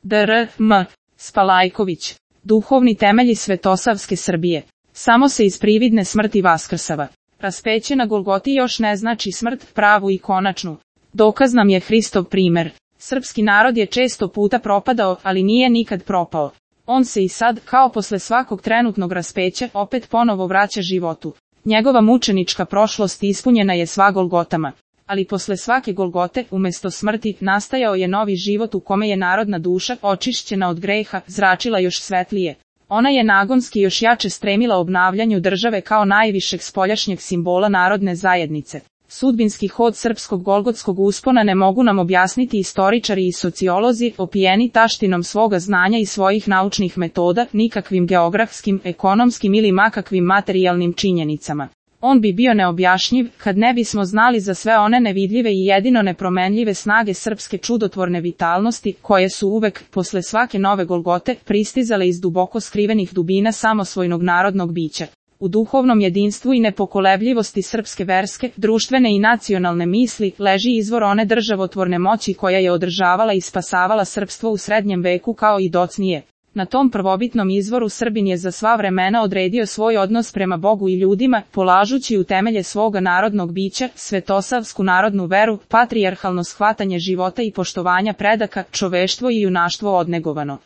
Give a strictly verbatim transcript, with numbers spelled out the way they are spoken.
dr M. Spalajković. Duhovni temelji Svetosavske Srbije. Samo se iz prividne smrti vaskrsava. Raspeće na Golgoti još ne znači smrt, pravu i konačnu. Dokaz nam je Hristov primer. Srpski narod je često puta propadao, ali nije nikad propao. On se i sad, kao posle svakog trenutnog raspeća, opet ponovo vraća životu. Njegova mučenička prošlost ispunjena je sva Golgotama. Ali posle svake Golgote, umesto smrti, nastajao je novi život u kome je narodna duša, očišćena od greha, zračila još svetlije. Ona je nagonski još jače stremila obnavljanju države kao najvišeg spoljašnjeg simbola narodne zajednice. Sudbinski hod srpskog golgotskog uspona ne mogu nam objasniti istoričari i sociolozi, opijeni taštinom svoga znanja i svojih naučnih metoda, nikakvim geografskim, ekonomskim ili makakvim materijalnim činjenicama. On bi bio neobjašnjiv, kad ne bismo znali za sve one nevidljive i jedino nepromenljive snage srpske čudotvorne vitalnosti, koje su uvek, posle svake nove Golgote, pristizale iz duboko skrivenih dubina samosvojnog narodnog bića. U duhovnom jedinstvu i nepokolebljivosti srpske verske, društvene i nacionalne misli, leži izvor one državotvorne moći koja je održavala i spasavala srpstvo u srednjem veku kao i docnije. Na tom prvobitnom izvoru Srbin je za sva vremena odredio svoj odnos prema Bogu i ljudima, polažući u temelje svoga narodnog bića, svetosavsku narodnu veru, patrijarhalno shvatanje života i poštovanja predaka, čoveštvo i junaštvo odnegovano.